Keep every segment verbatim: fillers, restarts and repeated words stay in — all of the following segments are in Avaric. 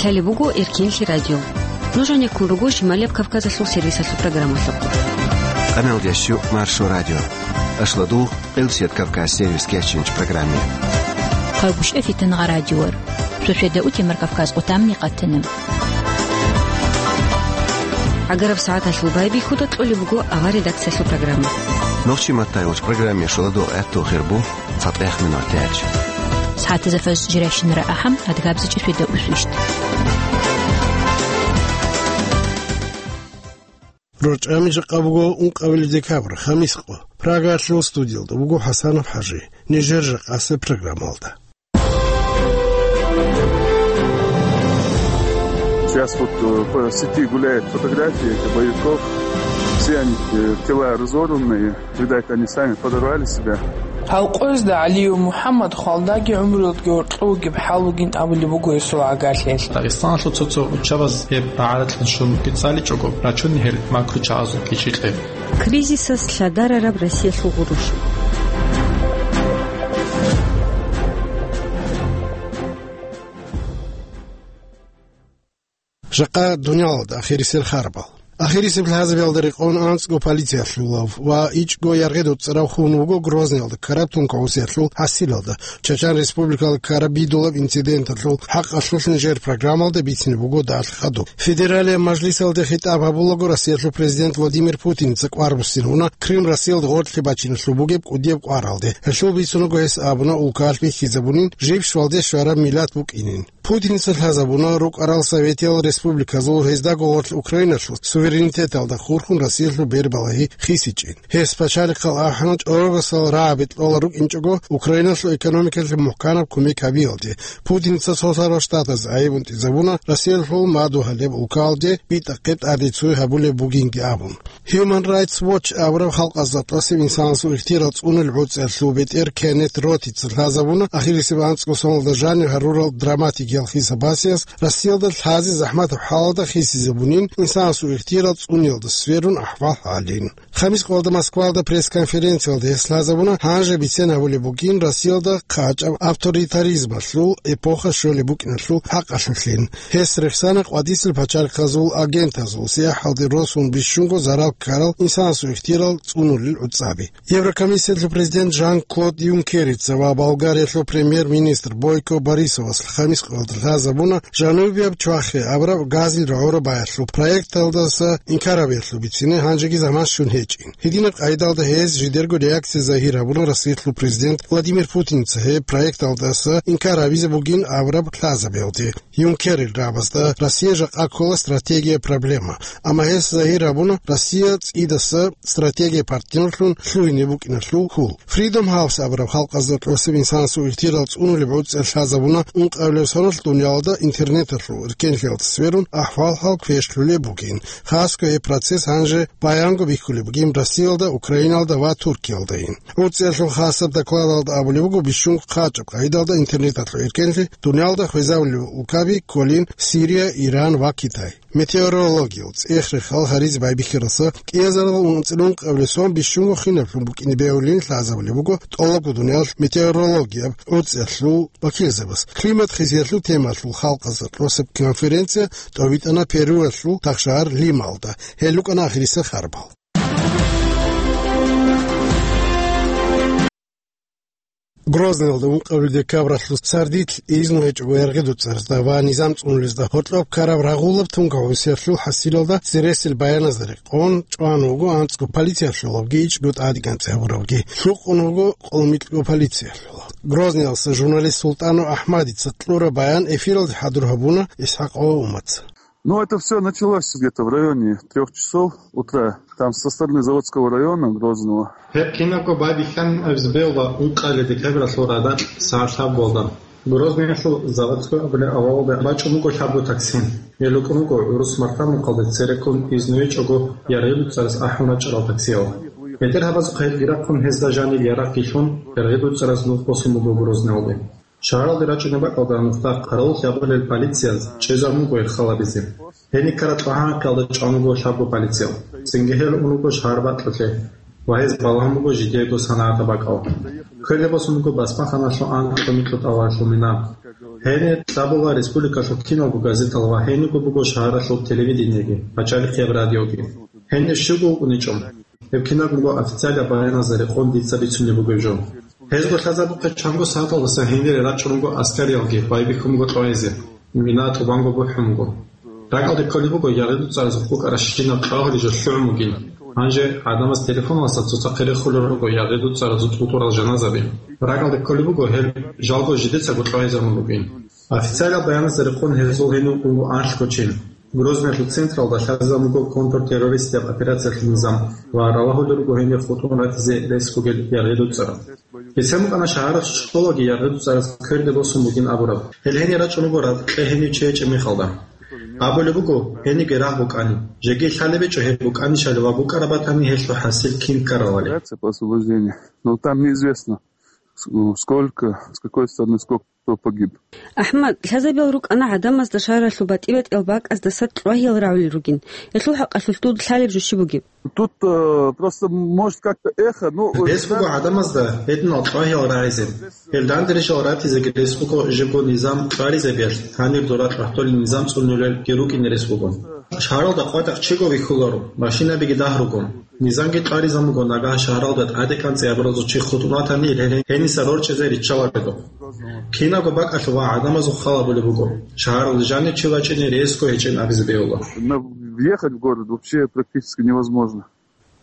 Гьале буго Эркенлъи радио. Нуж гьанеккун руго Шималияб Кавказалъул сервисалъул программалъухъ. Къаналдящу Маршо радио. Ашладул, Къилсият Кавказ сервис кечинч программе. Хъагушев Фитангъа радиор. Шошеда утемар Кавказ къутамни къатана. Агараб сагӀаталъул байбихьуда кьолеб буго авар редакциялъул программа. Нохчи маттайгъуч программе шуладу гӀатту хирбу. ЦатӀех минутач. СагӀатазда фаз жирайщинара ахӀам, адгабзачӀи фида усвищт. РорчӀами жакъа буго ункъабилеб декабрь, хамис къо. Прагалъул студиялда буго ХӀасанов ХӀажи. Нижер жакъасеб программалда. Сейчас вот, э, по сети гуляют фотографии этих боевиков. Все они, э, тела разорванные. Видать, они сами подорвали себя. Гьав къоязда ГӀалиев МухӀаммад хвалдаги гӀумруялдги гьоркьов вугеб хӀал вугин абулеб буго гьесул гӀагарлъиялъ. Дагъистаналъул цо-цо учабаз гьеб рагӀаратлъун щун бицӀаличӀого, рачун гьел макру чагӀазул кичикье. Кризисас лъадарараб Россиялъул гъурущ. Жакъа дуниялалда ахирисел харбал. Ахирисеб лъазабиялда рекъон анцӀго полициялъулав ва ичӀго яргъи дуцӀарав хун вуго Грозныйалда ккараб тункагӀусиялъул хӀасилалда, Чачан Республикалда ккараб бидулаб инциденталъул хӀакъалъулъ нижер программалда бицине буго далъ хадуб. Федералияб мажлисалде хитӀаб гьабулаго Россиялъул президент Владимир Путинца кӀвар буссин гьуна Крым Россиялда гъорлъе бачиналъул бугеб кӀудияб кӀваралде. Гьелъул бицунаго гьес абуна улкалъ бихьизабунин жиб щвалде щвараб миллат букӀинин. Путинца лъазабуна рукӀарал советиял республиказул гьездаго гъорлъ Украиналъул суверенитеталда хурхун Россиялъул бербалагьи хисичӀин. Гьес пачалихъал ахӀана чӀорогасал рагӀаби кьола рукӀинчӀого Украиналъул экономикалъе мухӀканаб кумек гьабиялде. Путинца Цолъарал Штатаз гӀайибунтӀизабуна Россиялъул мадугьалеб улкалде битӀахъе тӀадецуй гьабулеб бугинги абун. Human Rights Watch абураб халкъазда тӀасеб инсанасул ихтияр цӀунулеб гӀуцӀиялъул бетӀер Кеннет Ротица лъазабуна ахирисеб анцӀго соналда жанир гьарурал драматикиял хисабасиялъ Россиялда лъазе захӀматаб хӀалалда хисизабунин инсанасул ихтияр цӀуниялда сверун ахӀвал гьалин. Хамис къоялда Москвалда пресс-конференциялда гьес лъазабуна гьанже бицен гьабулеб бугин Россиялда хъачӀаб авторитаризмалъул эпоха щолеб букӀиналъул хӀакъалъулъин. Гьес рехсана къватӀисел пачалихъазул агентазул сияхӀалде росун бищунго зарал ккарал инсанасул ихтияр цӀунулел гӀуцӀаби. Еврокомиссиялъул президент Жан-Клод Юнкерица ва Болгариялъул премьер-министр Бойко Борисовас хамис къоялда лъазабуна жанубияб чвахе абураб газил рогӀора баялъул проекталдаса инкар гьабиялъул бицине гьанжеги заман щун гьечӀин. Гьединаб къайдалда гьез жидерго реакция загьир гьабуна Россиялъул президент Владимир Путинца гьеб проекталдаса инкар гьабизе бугин абураб лъазабиялде. Юнкерил рагӀабазда Россия жакъа ккола стратегия проблема, амма гьес загьир гьабуна Россия цӀидаса стратегия партнерлъун лъугьине букӀиналъул хьул. Freedom House абураб халкъазда тӀасеб инсанасул ихтияр цӀунулеб гӀуцӀиялъ лъазабуна ункъабилеб соналъ дуниялалда интернеталъул эркенлъиялда сверун ахӀвал-хӀал квешлъулеб бугин. Хасго гьеб процесс гьанже баянго бихьулеб бугин Россиялда, Украиналда ва Туркиялдайин. ГӀуцӀиялъул хасаб докладалда абулеб буго бищунго хъачӀаб къайдалда интернеталъул эркенлъи дуниялда хвезабулел улкаби кколин Сирия, Иран ва Китай. Метеорологиял цӀех-рехал гьаризе байбихьаралса кӀиазарал ункъабилеб сон бищунго хинаблъун букӀине бегьулин лъазабулеб буго тӀолабго дуниялалъ метеорологияб гӀуцӀиялъул вакилзабаз. Климат хисиялъул темалъул халкъазда тӀасеб конференция тӀобитӀана Перуялъул тахшагьар Лималда. Гьел рукӀана ахирисел харбал. Грозныйалда ункъабилеб декабралъул сардилъ изну гьечӀого яргъи дуцӀарзда ва низам цӀунулезда гьоркьоб ккараб рагъулаб тункагӀусиялъул хӀасилалда цересел баяназда рекъон чӀван вуго анцӀго полициялъулавги ичӀго тӀадегӀанцӀи гьабуравги. Лъукъун вуго къолмикьго полициялъулав. Грозныйалъа журналист Султанов Ахмадица кьураб баян эфиралде хӀадур гьабуна ИсхӀакъ Умаца. Ну, это всё началось где-то в районе трёх часов утра. Там со стороны Заводского района Грозного. Гьеб кинабго байбихьан абизе бегьула ункъабилеб декабралъул радакь сагӀат лъабгоялда. Грозныйалъул Заводской абулеб авалалда бачӀун буго лъабго такси. Гьел рукӀун руго гӀурус мартан мухъалде цереккун изну гьечӀого яргъи дуцӀараз ахӀун рачӀарал таксиял. БетӀергьабазухъе гьелги рахъун гьезда жаниб ярагъги лъун, яргъи дуцӀараз нух босун буго Грозныйалде. Шагьаралде рачӀунеб бакӀалда нухда хъаравуллъи гьабулел полицияз чӀезабун буго гьел халабизе. Гьениб ккараб тӀагӀамахъалда чӀван буго лъабго полициял. Цинги гьел ун руго шагьар бакьулъе ва гьез балагьун буго жидеего санагӀатаб бакӀал. Кверде босун буго басмаханалъул анкьго-микьго тӀалабалъул мина. Гьенир кьабула республикалъул киналго газетал ва гьенибго буго шагьаралъул телевидениеги, пачалихъияб радиоги. Гьенир щибго вукӀуничӀо. Гьеб кинабго официалаб баяназда рекъон дица бицунеб бугеб жо. Гьезго лъазабухъе чанго сагӀаталдаса гьенире рачӀун руго аскариялги байбихьун буго кьвайзе, мина тӀубанго бухӀун буго. РакӀалде кколеб буго ягъи-дуцӀаразухъ букӀаращинаб кьагьури жо лъугӀун бугин. Гьанже гӀадамаз телефоналдаса цоцахъе рехулел руго ягъи-дуцӀаразул тӀутӀурал жаназаби. РакӀалде кколеб буго гьел жалго жидецаго кьвайзабун бугин. Официалаб баяназда рекъон гьезул гьенив вукӀун буго анлъго чин. Грозныйлъул централда лъазабун буго контртеррористияб операциялъул низам ва ралагьулел руго гьенир хутӀун ратизе рес бугел ягъи-дуцӀарал. Бицен букӀана шагьаралъ щолаги ягъи-дуцӀараз кверде босун бугин абураб. Гьел гьенир рачӀун руго ракье гьенив чи гьечӀеб мехалда. Абулеб буго, гьенибги рагъ букӀани. Жеги лъалеб гьечӀо гьеб букӀанищали ва букӀараб батани гьелъул хӀасил кин ккаралали. Операция по освобождению. Но там неизвестно, с-, сколько, с какой стороны, сколько кто погиб. АхӀмад, лъазабиял рукӀана гӀадамазда шагьаралъул батӀи-батӀиял бакӀаздаса кьвагьиял рагӀулел ругин. Гьелъул хӀакъалъулъ дуда лъалеб жо щиб бугеб? Тут, э, просто, может, как-то эхо, ну, э, Рес буго гӀадамазда гьединал кьвагьиял рагӀизе. Гьел данде рижал ратизеги рес буго жибго низам кьваризабиялъ, гьанир дора тӀахӀдолин низам цӀунулелги рукӀине рес буго. Шагьаралда къватӀахъ чиго вихьуларо, машинабиги дагь руго. Низамги кьваризабун буго, нагагь шагьаралда тӀаде кӀанцӀи абуразул чи хутӀун ватани, гьениса рорчӀизе риччаларидухъ. Кинабго бакӀалъув ва гӀадамазухъ хал гьабулеб буго. Шагьаралде жанив чи вачӀине ресго гьечӀин абизе бегьула. Но въехать в город вообще практически невозможно.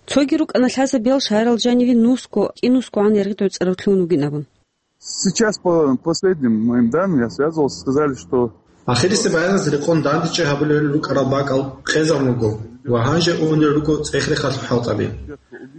Цоги рукӀана лъазабиял шагьарал жаниве нусго, кӀинусгогӀан яргъи-дуцӀарав лъугьун вугин абун. Сейчас, по последним моим данным, я связывался, сказали, что Ахирисеб баяназ рекъон дандечӀей гьабулел рукӀарал бакӀал къезабун буго ва гьанже унел руго цӀех-рехалъул хӀалтӀаби.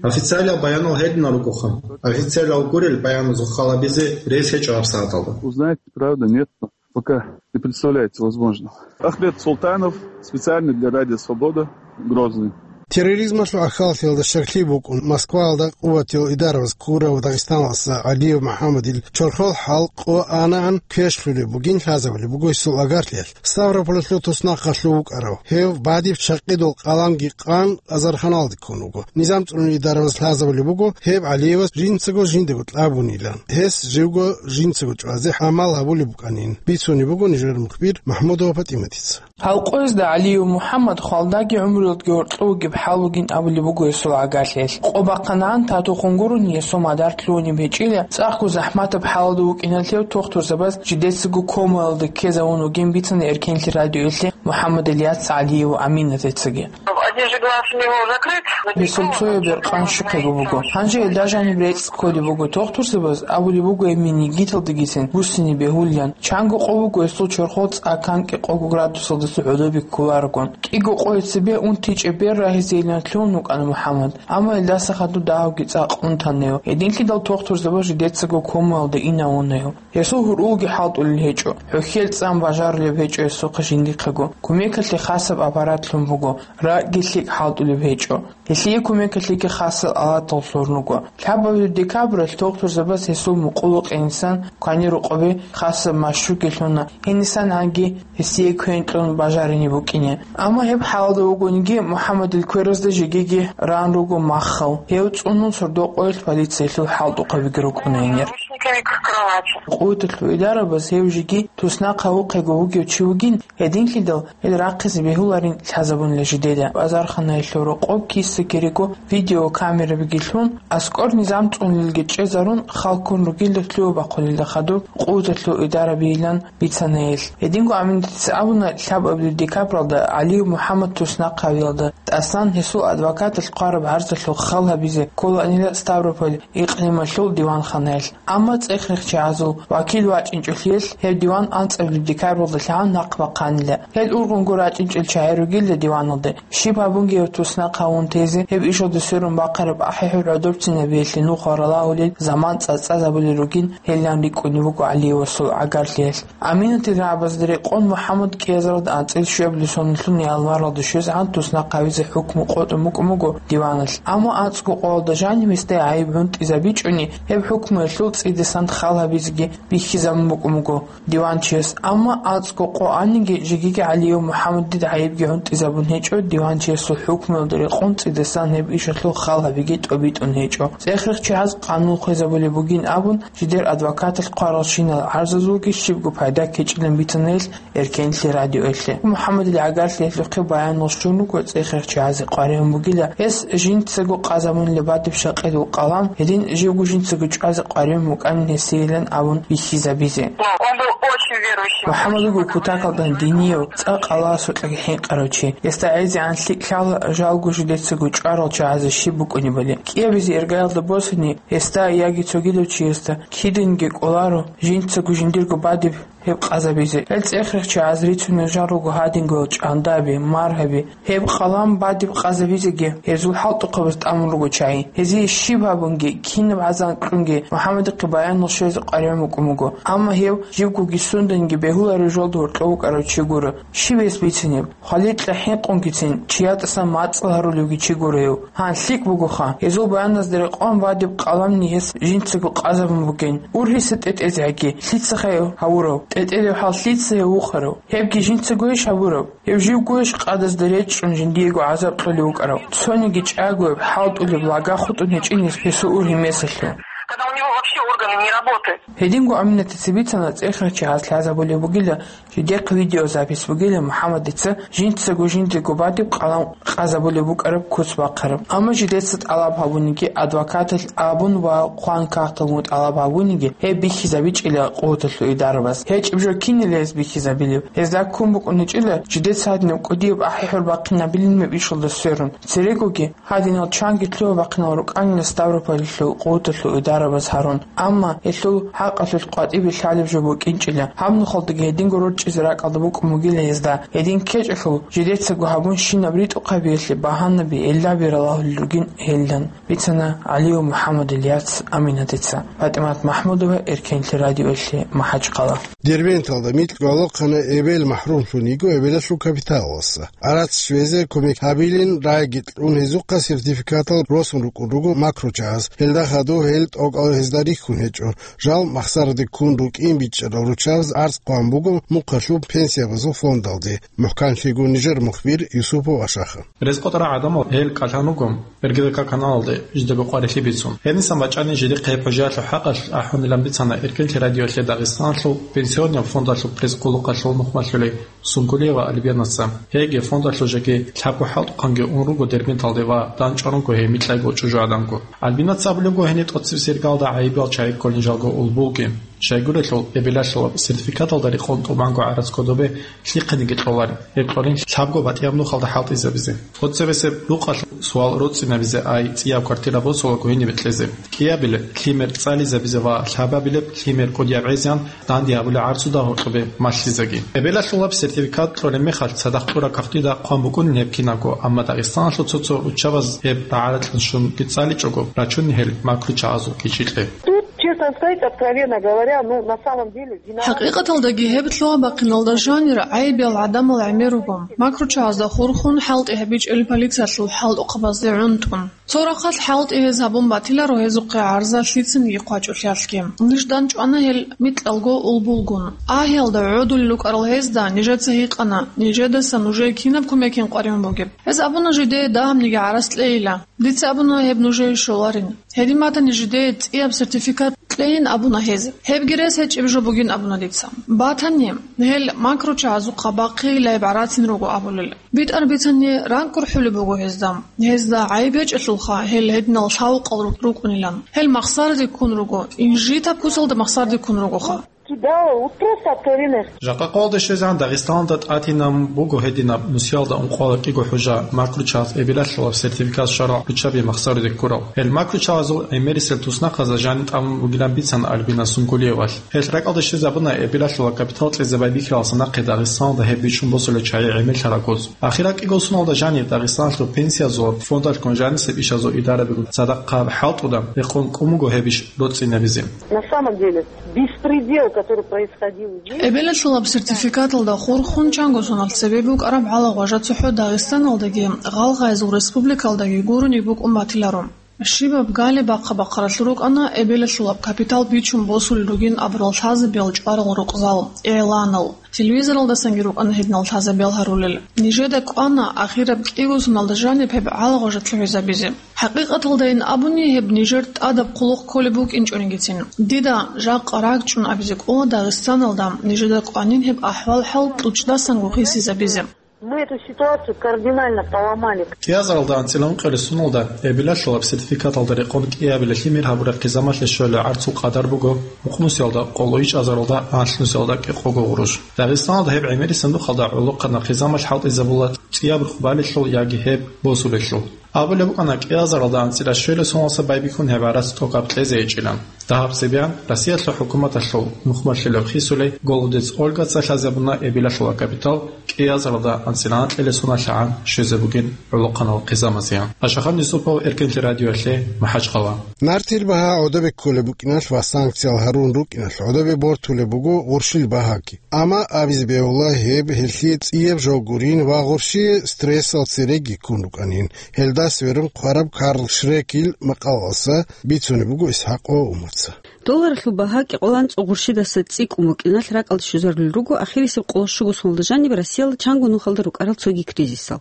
Официалиял баянал гьединал ругоха. Официалиял гурел баяназухъ хал гьабизе рес гьечӀо гьабсагӀаталда. Узнаете, правда, нет, пока не представляется возможным. Ахмед Султанов, специально для Радио Свобода, Грозный. Терроризмалъул гӀахьаллъиялда щаклъи букӀун, Москваялда къуватиял идараваз ккурав дагъистаналъа ГӀалиев МухӀаммадил чорхол хӀал къо анагӀан квешлъулеб бугин лъазабулеб буго гьесул агарлъиялъ. Ставрополалъул туснахъалъув вукӀарав гьев бадиб чакъидул къаламги къан азарханалде ккун вуго. Низам цӀунул идараваз лъазабулеб буго гьеб ГӀалиевас жинцаго жиндаго кьабунилан, гьес живго жинцаго чӀвазе гӀамал гьабулеб букӀанин, бицунеб буго нижер мухбир МахӀмудова ПатӀиматица. Гьал къоязда ГӀалиев МухӀаммад хвалдаги гӀумруялдги гьоркьов вугеб хӀал вугин абулеб буго гьесул агарлъиялъ. Къо бахъанагӀан татухъун гурони гьесул мадар лъугьунеб гьечӀила, цӀакъго захӀматаб хӀалалда вукӀиналъев тухтурзабаз жидецаго комаялда ккезавун вугин бицана Эркенлъи радиоялъе МухӀаммад Ильяс ГӀалиев Аминатицаги. Один же глаз у него закрыт. Гьесул цояб бер къан щухъего буго. Гьанже гьелда жаниб рецӀ кколеб буго тухтурзабаз, абулеб буго гьеб менгиталдагицин буссине бегьулилан. Чанго къо буго гьесул чорхол цӀа кӀанкӀи къого градусалдаса гӀодобе кколарогун. КӀиго къое цебе унти-чӀебер рагьизейилан лъугьун вукӀана МухӀаммад, амма гьелдаса хадуб дагьабги цӀакъ унтана гьев. Гьединлъидал тухтурзабаз жидецаго комаялда инав вуна гьев. Гьесул гьурулги хӀалтӀулел гьечӀо, хӀухьел цӀан бажарулеб гьечӀо гьесухъа жиндихъего, кумекалъе хасаб аппарат лъун буго, ракӀги лъикӀ хӀалтӀулеб гьечӀо. Гьелъие кумекалъеги хасал алатал лъугьун руго. Лъабабилеб декабралъ тухтурзабаз гьесул мукъулукъинисан кванирукъабе хасаб машгьурги лъуна, гьенисан гьанги гьесие квен кьун бажарине букӀине. Амма гьеб хӀалалда вугониги, МухӀаммадил кверазда жегиги ран руго маххал. Гьев цӀунун сордо-къоялъ полициялъул хӀалтӀухъабиги рукӀуна гьенир. Наручниками к кровати. Къуваталъул идарабаз гьев жеги туснахъ гьавухъего вугев чи вугин, гьединлъидал гьел рахъизе бегьуларин лъазабунила жидеда. Базарханаялъул рокъоб киса-кириго видеокамерабиги лъун, аскӀор низам цӀунулелги чӀезарун, хал ккун ругел лъугьа-бахъулелда хадуб къуваталъул идарабийилан бицана гьел. Гьединго Аминатица абуна, лъабабилеб декабралда ГӀалиев МухӀаммад туснахъ гьавиялда тӀасан гьесул адвокаталъ хъвараб гӀарзалъул хал гьабизе кколаанила Ставрополь икълималъул диванханаялъ. Амма цӀех-рехчагӀазул вакил вачӀинчӀолъиялъ гьеб диван анцӀабилеб декабралда лъагӀан нахъ бахъанила. Гьел ургъунго рачӀинчӀел чагӀи ругила диваналда. Щиб гьабунги гьев туснахъ гьавун тезе, гьеб ишалда сверун бахъараб ахӀи-хӀур гӀодобцинабиялъе нух ва ралагьулел заман цӀацӀазабулел ругин гьелилан рикӀкӀунеб буго ГӀалиевасул агарлъиялъ. Аминатил рагӀабазда рекъон МухӀаммад кӀиазаралда анцӀила щуабилеб соналъул январалда щвезегӀан туснахъ гьавизе хӀукму къотӀун букӀун буго диваналъ. Амма анцӀго къоялда жаниб гьесда гӀайиб гӀунтӀизабичӀони, гьеб хӀукмуялъул цӀи цӀидасан хал гьабизеги бихьизабун букӀун буго диванчияс. Амма анцӀго къо аниги, жегиги ГӀалиев МухӀаммадида гӀайибги гӀунтӀизабун гьечӀо, диванчиясул хӀукмуялда рекъон цӀидасан гьеб ишалъул хал гьабиги тӀобитӀун гьечӀо. ЦӀехрехъ чагӀаз къанун хвезабулеб бугин абун, жидер адвокаталъ хъваралщинал гӀарзазулги щибго пайда ккечӀилан бицана гьелъ Эркенлъи радиоялъе. МухӀаммадил гӀагарлъи гьелъухъе баянал щун руго, цӀехрехъ чагӀазе къваригӀун бугила, гьес жинцаго къазабунилеб батӀиб щакъидул къалам, гьедин живго жинцаго чӀвазе къваригӀун букӀанин гьесийилан абун бихьизабизе. Он был очень верующим. МухӀаммад вуго кутакалда динияв, цӀакъ Аллагьасукьаги хӀинкъарав чи. Гьесда гӀезегӀан лъикӀ лъала, жалго жидецаго чӀварал чагӀазе щиб букӀунебали. КӀиабизе иргаялда босани, гьесда яги цогидав чиясда кидинги кӀоларо жинцаго жиндирго батӀиб гьеб къазабизе. Гьел цӀехрехъ чагӀаз рицунел жал руго гьадингоял чӀандаби, маргьаби. Гьеб къалам батӀиб къазабизеги гьезул хӀалтӀухъабаз тӀамун руго чагӀи. Гьезие щиб гьабунги, кинаб гӀазан кьунги МухӀаммадихъе баянал щвезе къваригӀун букӀун буго. Амма гьев живгоги сунданиги бегьуларев жолда гьоркьов вукӀарав чи гуро. Щиб гьес бицинеб? Хваликьа хӀинкъунгицин чи ятӀасан мацӀал гьарулевги чи гуро гьев. Гьан, лъикӀ бугоха, гьезул баяназда рекъон батӀиб къаламни гьес жинцаго къазабун бугин. Ургьиса тӀетӀезегӀаги, лъицахъе гьавурав? ТӀетӀерев хӀал лъица гьев вухарав? Гьебги жинцагойищ гьабураб? Гьев живгойищ къадазда речӀчӀун жиндиего гӀазаб кьолев вукӀарав? Цониги чӀагояб, хӀалтӀулеб лага хутӀун гьечӀин гьесул ургьимесалъув. Когда у него вообще органы не работают. Гьединго Аминатица бицана, цӀехрехъ чагӀаз лъазабулеб бугила, жидехъ видеозапись бугила МухӀаммадица жинцаго жиндирго батӀиб къалам къазабулеб букӀараб куц бахъараб. Амма жидеца тӀалаб гьабуниги, адвокаталъ абун ва хъван кагъталгун тӀалаб гьабуниги, гьеб бихьизабичӀила къуваталъул идарабаз. ГьечӀеб жо кинила гьез бихьизабилеб? Гьезда ккун букӀуничӀила жидеца гьадинаб кӀудияб ахӀи-хӀур бахъинабилин меб ишалда сверун. Церегоги гьадинал чанги лъугьа-бахъинал рукӀанила Ставрополалъул къуваталъул идарабаз гьарун. Амма гьелъул хӀакъалъулъ къватӀибе лъалеб жо букӀинчӀила. Гьаб нухалдаги гьединго рорчӀизе ракӀалда букӀун бугила гьезда. Гьедин ккечӀелъул, жидецаго гьабун щинаб ритӀухъабиялъе багьанаби, гӀиллаги ралагьулел ругин гьелдан, бицана ГӀалиев МухӀаммадил яц Аминатица. ПатӀимат МахӀмудова, Эркенлъи радиоялъе, МахӀачхъала. Дербенталда микьго гӀолохъанай эбел махӀрумлъун йиго эбелалъул капиталалдаса. Гьарац щвезе кумек гьабилин рагӀиги кьун гьезухъа сертификатал росун рукӀун руго макрочагӀаз. Гьелда хадуб гьел тӀокӀал гьезда рихьун гьечӀо. Жал махсараде ккун рукӀин бичӀчӀарал руччабаз гӀарц хъван буго мухъалъуб пенсиябазул фондалде. МухӀканлъиго нижер мухбир Юсупов Ашаха. РезкъотӀарал гӀадамал гьел кӀалъан руго РГВК каналалде жидего къварилъи бицун. Гьенисан бачӀани жидехъе гьеб хӀужаялъул хӀакъалъулъ ахӀунилан бицана Эркенлъи радиоялъе Дагъистаналъул пенсионный фондалъул пресс-къулухъалъул нухмалъулей Сункулиева Альбинаса. Гьеги фондалъул жеги лъабго хӀалтӀухъанги ун руго Дербенталде ва дандчӀван руго гьей микьайго чӀужугӀаданго. Альбинаца абулебго, гьениб тӀоцебесеб иргалда гӀайибал чагӀи кколин жалго улбулги. Щайгурелъул, эбелалъулаб сертификаталда рекъон тӀубанго гӀарац кодобе лъихъениги кьоларин, гьеб кьолин лъабго батӀияб нухалда хӀалтӀизабизе. ТӀоцебесеб рукъалъ суал роцӀцӀинабизе ай цӀияб квартира босулаго гьенибе кьезе. КӀиабилеб лъимер цӀализабизе ва лъабабилеб лъимер кӀудияб гӀезегӀан данде гьабулеб гӀарцуда гьоркьобе малъизеги. Эбелалъулаб сертификат кьолеб мехалъ цадахъ тӀура кагътида хъван букӀунин гьеб кинабго, амма Дагъистаналъул цо-цо руччабаз гьеб рагӀаракьун щун кицӀаличӀого рачунин гьел макручагӀазул кичӀикье. Тут, честно сказать, откровенно говоря, ну, на самом деле, виноваты... ХӀакъикъаталдаги гьеб лъугьа-бахъиналда жанир гӀайибиял гӀадамал гӀемер руго. Макручагьазда хурхун хӀалтӀи гьабичӀел полициялъул хӀалтӀухъабазде гӀунтӀун. Цо рахъалъ хӀалтӀи гьез гьабун батиларо гьезухъе гӀарза лъицаниги хъвачӀулъиялъги. Ниж дандчӀвана гьел микьалго улбулгун. Агьиялда гӀодулел рукӀарал гьезда нижеца гьикъана, нижедаса нужее кинаб кумекин къваригӀун бугеб? Гьез абуна жидее дагьабниги гӀарац кьейила. Дица абуна гьеб нужее щоларин. Гьедин батани жидее цӀияб сертификат кьейин абуна гьез. Гьебги рес гьечӀеб жо бугин абуна дица. Батани, гьел макручагьазухъа бахъейилан гӀарацин руго абулел. БитӀар бицани ракӀ гурхӀулеб буго гьезда. Гьезда гӀайиб гьечӀелъулха гьел гьединал лъавукъал ру-, рукӀунилан. Гьел махсараде ккун руго, инжитаб кусалда махсараде ккун ругоха. Кидал, вот просто откровенно. Жакъа къоялда щвезегӀан Дагъистаналда тӀатинабун буго гьединаб нусиялда ункъоялда кӀиго хӀужа макручагьаз эбелалъулаб сертификат щварал руччаби махсараде ккурал. Гьел макручагьазул гӀемерисел туснахъазда жаниб тӀамун бугилан бицана Альбина Сункулиевалъ. Гьелъ ракӀалде щвезабуна эбелалъула капитал кьезе байбихьаралдаса нахъе Дагъистаналда гьеб бичӀчӀун босулел чагӀи гӀемерлъараб гуз. Ахирал кӀиго соналда жаниб Дагъистаналъул пенсиязул фондалъгун жанисеб ишазул идарабигун цадахъ хӀалтӀуда рекъон кӀун буго гьеб иш роцӀцӀинабизе. На самом деле, беспредел, который происходил здесь... Эбелалъулаб сертификаталда хурхун чанго соналъ цебе букӀараб гьалагъважа цохӀо Дагъистаналдаги, гъалгъайзул республикалдаги гурони букӀун батиларо. Щибаб гали бахъа-бахъаралъур рукӀана эбелалъулаб капитал бичун босулел ругин абурал лъазабиял чӀварал рукъзал, игӀланал. Телевизоралдасанги рукӀана гьединал лъазабиял гьарулел. Нижеда кӀвана ахираб кӀиго соналда жаниб гьеб гӀалагъважалъе гӀезабизе. ХӀакъикъаталдайин абуни, гьеб нижер тӀадаб хъулухъ кколеб букӀинчӀонигицин. Дида жакъа рагчӀун абизе кӀола Дагъистаналда нижеда кӀванин гьеб ахӀвал-хӀал тӀучӀдасанго хисизабизе. Мы эту ситуацию кардинально поломали. КӀиазаралда анцӀила ункъабилеб соналда эбелалъулаб сертификаталда рекъон кӀиабилелъи мер гьабураб хъизамалъе щолеб гӀарцул къадар буго мукънусиялда къоло ичӀазаралда анлънусиялда кӀикъого гъурущ. Дагъистаналда гьеб гӀемерисеб нухалда гӀолохъанаб хъизамалъ хӀалтӀизабула цӀияб рухӀ балелъул яги гьеб босулелъул. Абулеб букӀана, кӀиазаралда анцӀила щвелеб соналдаса байбихьун гьеб гӀарац тӀокӀаб кьезе гьечӀилан. Дагьаб цебеян Россиялъул хӀукуматалъул мухь малъулеб хисулей Голодец Ольгаца лъазабуна эбелалъула капитал кӀиазаралда анцӀила анкьабилеб соналъагӀан щвезе бугин гӀолохъанал хъизамазеян. Ашахан Юсупов, Эркенлъи радиоялъе, МахӀачхъала. Нартил багьа гӀодобе кколеб букӀиналъ ва санкциял гьарун рукӀиналъ гӀодобе бортулеб буго гъурщил багьаги. Амма абизе бегьула гьеб гьелъие цӀияб жо гурин ва гъурщие стрессал цереги ккун рукӀанин. Гьелда сверун хъвараб Карл Шрекил макъалалъа бицунеб буго ИсхӀакъ ва Умарца. Долларалъул багьа кӀикъоялда анцӀго гъурщидаса цӀикӀкӀун букӀиналъ ракӀалде щвезарулел руго ахирисеб къоло щуго соналда жаниб Россиялда чанго нухалда рукӀарал цоги кризисал.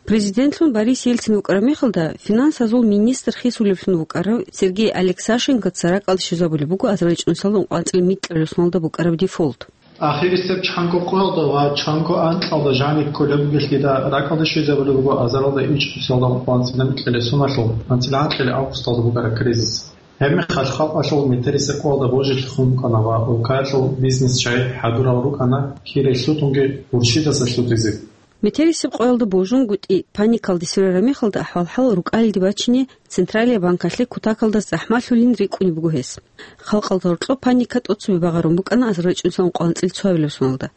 Президентлъун Борис Ельцин вукӀараб мехалда финансазул министр хисулевлъун вукӀарав Сергей Алексашенкоца ракӀалде щвезабулеб буго азарилчӀунсалда ункъоялда анцӀила микьабилеб соналда букӀараб дефолт. Ахирисеб чанго къоялда ва чанго анкьалда жаниб кколеб бугелъидал ракӀалде щвезабулеб буго азаралда ичӀнусиялда ункъоялда анцӀила микьабилеб соналъул анцӀила анкьабилеб августалда букӀараб кризис. Гьебмехалъ халкъалъул метерисеб къоялда божизе хун букӀана ва улкаялъул бизнес-чагӀи хӀадурал рукӀана кире лъутунги гъурщидаса лъутизе. Метерисеб къоялда божунгутӀи паникалде сверараб мехалда ахӀвал-хӀал рукӀалиде бачине Централияб банкалъе кутакалда захӀмалъулин рикӀкӀунеб буго гьес. Халкъалда гьоркьоб паника тӀоцебе багъарун букӀана азарилчӀунсалда ункъоялда анцӀила цоабилеб соналда.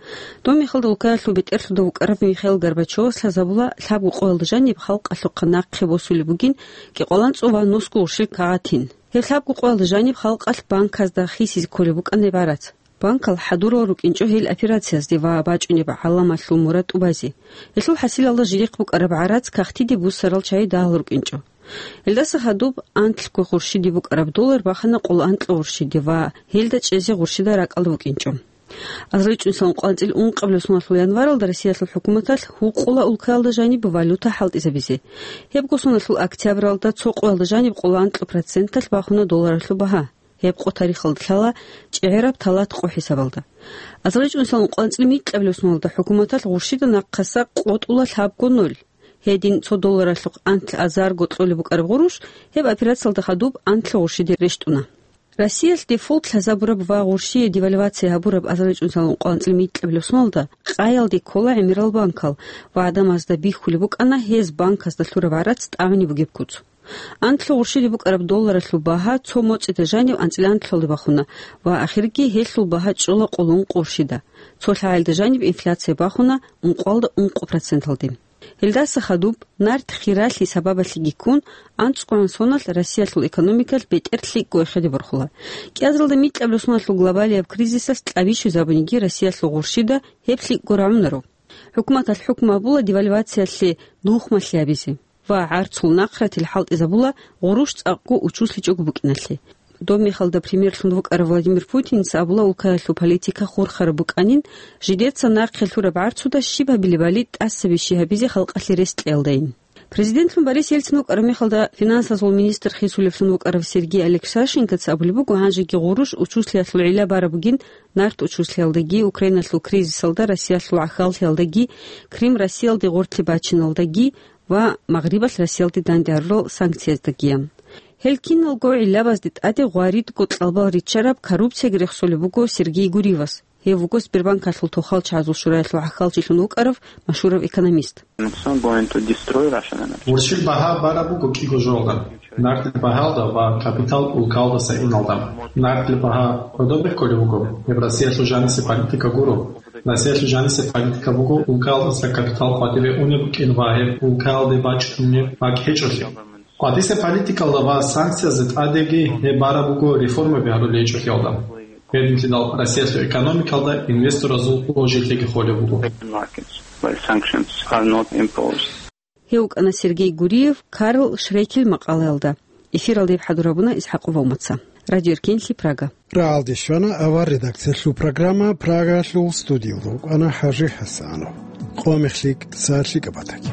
Доб мехалда улкаялъул бетӀерлъуда вукӀарав Михаил Горбачевас лъазабула лъабго къоялда жаниб халкъалъухъа нахъе босулеб бугин кӀикъоялда анцӀго ва нусго гъурщил кагъатин. Гьеб лъабго къоялда жаниб халкъалъ банказда хисизе кколеб букӀана гьеб гӀарац. Банкал хӀадурал рукӀинчӀо гьел операциязде ва бачӀунеб гӀаламалъул мурад тӀубазе. Гьелъул хӀасилалда жидехъ букӀараб гӀарац кагътиде буссарал чагӀи дагьал рукӀинчӀо. Гьелдаса хадуб анлъго гъурщиде букӀараб доллар бахана къоло анкьа гъурщиде ва гьелда чӀезе гъурщида ракӀалда букӀинчӀо. АзарилчӀунсалда ункъоялда анцӀила ункъабилеб соналъул январалда Россиялъул хӀукуматалъ гьукъула улкаялда жаниб валюта хӀалтӀизабизе. Гьебго соналъул октябралда цо къоялда жаниб къоло анкьа проценталъ бахуна долларалъул багьа. Гьеб къо тарихалда лъала чӀегӀераб талат къо хӀисабалда. АзарилчӀунсалда ункъоялда анцӀила микьабилеб соналда хӀукуматалъ гъурщида нахъаса къотӀула лъабго ноль. Гьедин цо долларалъухъ анлъ азарго кьолеб букӀараб гъурущ гьеб операциялда хадуб анлъго гъурщиде рещтӀуна. Россиялъ дефолт лъазабураб ва гъурщие девальвация гьабураб азарилчӀунсалда ункъоялда анцӀила микьабилеб соналда къаялде ккола гӀемерал банкал ва гӀадамазда бихьулеб букӀана гьез банказда лъураб гӀарац тӀагӀунеб бугеб куц. Анлъго гъурщиде букӀараб долларалъул багьа цо моцӀида жанив анцӀила анлъалде бахуна ва ахирги гьелъул багьа чӀола къоло ункъо гъурщида. Цо лъагӀелда жаниб инфляция бахуна ункъоялда ункъо проценталде. Гьелдаса хадуб, нарт хиралъи сабабалъеги ккун, анцӀгоян соналъ Россиялъул экономикалъ бетӀер лъикӀго эхеде борхула. КӀиазаралда микьабилеб соналъул глобалияб кризисалъ кьабичӀеб жо бугониги Россиялъул гъурщида гьеб лъикӀго рагӀунаро. ХӀукуматалъ хӀукму гьабула девальвациялъе нухмалъи гьабизе ва гӀарцул нахъратил хӀалтӀизабула гъурущ цӀакъго учуслъичӀого букӀиналъе. Доб мехалда премьерлъун вукӀарав Владимир Путинца абула улкаялъул политика хурхараб букӀанин, жидеца нахъе лъураб гӀарцуда щиб гьабилебали тӀасабищи гьабизе халкъалъе рес кьеялдайин. Президентлъун Борис Ельцин вукӀараб мехалда финансазул министр хисулевлъун вукӀарав Сергей Алексашенкоца абулеб буго, гьанжеги гъурущ учуслъиялъул гӀилла бараб бугин нарт учуслъиялдаги, Украиналъул кризисалда Россиялъул гӀахьаллъиялдаги, Крым Россиялде гъорлъе бачиналдаги ва Магърибалъ Россиялде данде гьарурал санкцияздаги. Гьел киналго гӀиллабазде тӀаде гъваридго кьалбал риччараб коррупциялъ рехсолеб буго Сергей Гуриевас. Гьев вуго Сбербанкалъул тохалчагӀазул шураялъул гӀахьалчилъун вукӀарав машгьурав экономист. It's not going to destroy Russian energy. Гъурщил багьа бараб буго кӀиго жоялда. Нартил багьаялда ва капитал улкаялдаса иналда. Нартил багьа гӀодобе кколеб буго, гьеб Россиялъул жанисе политика гуро. Россиялъул жанисе политика буго улкаялдаса капитал къватӀибе унеб букӀин ва гьеб улкаялде бачӀунеб бакӀ гьечӀолъи. КъватӀисе политикалда ва санкциязда тӀадеги гьеб бараб буго реформаби гьарулел гьечӀолъиялда. Гьединлъидал Россиялъул экономикалда инвесторазул божилъиги холеб буго. Markets, where sanctions are not imposed. Гьев вукӀана Сергей Гуриев Карл Шрекил макъалаялда. Эфиралда гьеб хӀадур гьабуна ИсхӀакъ Валмаца. Радио Эркенлъи, Прага. Рагьалде щвана авар редакциялъул программа, Прагалъул студиялда вукӀана ХӀажи ХӀасанов. Къоялъ лъикӀ, сагӀат лъикӀаб батаги.